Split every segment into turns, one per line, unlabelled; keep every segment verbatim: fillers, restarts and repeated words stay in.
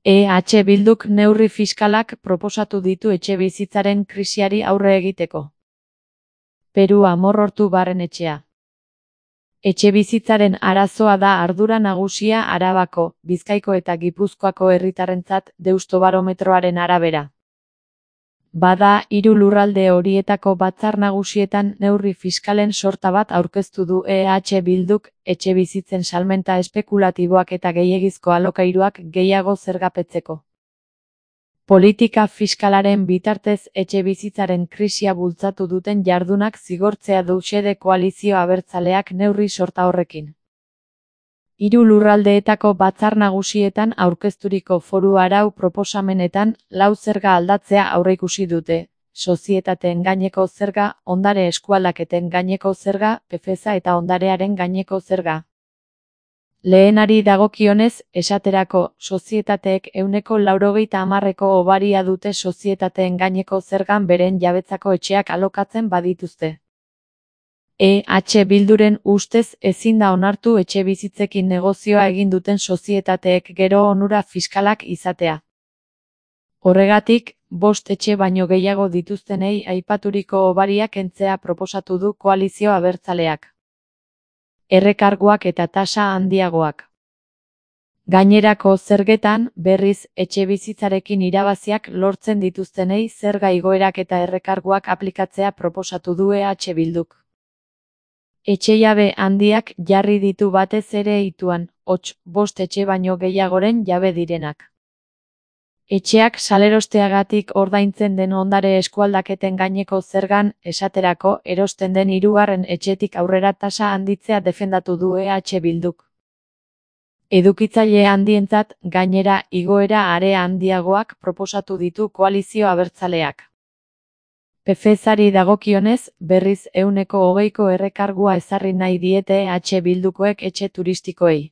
E H Bilduk neurri fiskalak proposatu ditu etxebizitzaren krisiari aurre egiteko. Peru amorrortu barrenetxea. Etxebizitzaren arazoa da ardura nagusia Arabako, Bizkaiko eta Gipuzkoako herritarrentzat Deustobarometroaren arabera. Bada, hiru lurralde horietako batzar nagusietan neurri fiskalen sorta bat aurkeztu du E H Bilduk, etxebizitzen salmenta espekulatiboak eta gehiegizko alokairuak gehiago zergapetzeko. Politika fiskalaren bitartez etxebizitzaren krisia bultzatu duten jardunak zigortzea du xede koalizio abertzaleak neurri sorta horrekin. Hiru lurraldeetako batzar nagusietan aurkezturiko foru arau proposamenetan lau zerga aldatzea aurreikusi dute: sozietateen gaineko zerga, ondare eskualdaketen gaineko zerga, pefeza eta ondarearen gaineko zerga. Lehenari dagokionez, esaterako, sozietateek ehuneko laurogeita hamarreko obaria dute sozietateen gaineko zergan beren jabetzako etxeak alokatzen badituzte. E H Bilduren ustez ezin da onartu etxebizitzekin negozioa egin duten sozietateek gero onura fiskalak izatea. Horregatik, bost etxe baino gehiago dituztenei aipaturiko obaria kentzea proposatu du koalizio abertzaleak. Errekarguak eta tasa handiagoak. Gainerako zergetan, berriz, etxebizitzarekin irabaziak lortzen dituztenei zerga igoerak eta errekarguak aplikatzea proposatu du E H Bilduk. Etxejabe handiak jarri ditu batez ere ituan, hots, bost etxe baino gehiagoren jabe direnak. Etxeak salerosteagatik ordaintzen den ondare eskualdaketen gaineko zergan, esaterako, erosten den hirugarren etxetik aurrera tasa handitzea defendatu du E H Bilduk. Edukitzaile handientzat, gainera, igoera are handiagoak proposatu ditu koalizio abertzaleak. Pefezari dagokionez, berriz ehuneko hogeiko errekargua ezarri nahi diete E H Bildukoek etxe turistikoei.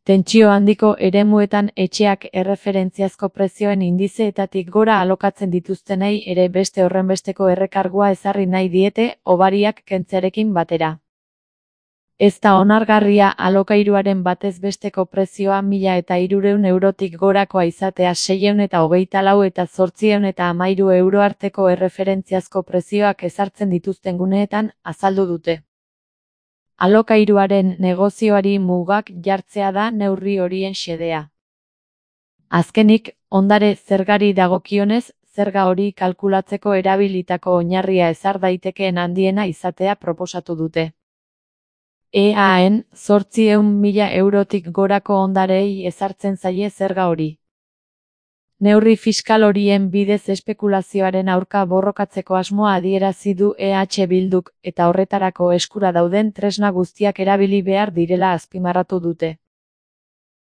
Tentsio handiko eremuetan etxeak erreferentziazko prezioen indizeetatik gora alokatzen dituztenei ere beste horrenbesteko errekargua ezarri nahi diete, obariak kentzearekin batera. Ez da onargarria alokairuaren batez besteko prezioa mila eta hirurehun eurotik gorakoa izatea seiehun eta hogeita lau eta zortziehun eta hamairu euro arteko erreferentziazko prezioak ezartzen dituzten guneetan, azaldu dute. Alokairuaren negozioari mugak jartzea da neurri horien xedea. Azkenik, ondare zergari dagokionez, zerga hori kalkulatzeko erabilitako oinarria ezar daitekeen handiena izatea proposatu dute. Eaen, zortziehun mila eurotik gorako ondarei ezartzen zaie zerga hori. Neurri fiskal horien bidez espekulazioaren aurka borrokatzeko asmoa adierazi du E H Bilduk, eta horretarako eskura dauden tresna guztiak erabili behar direla azpimarratu dute.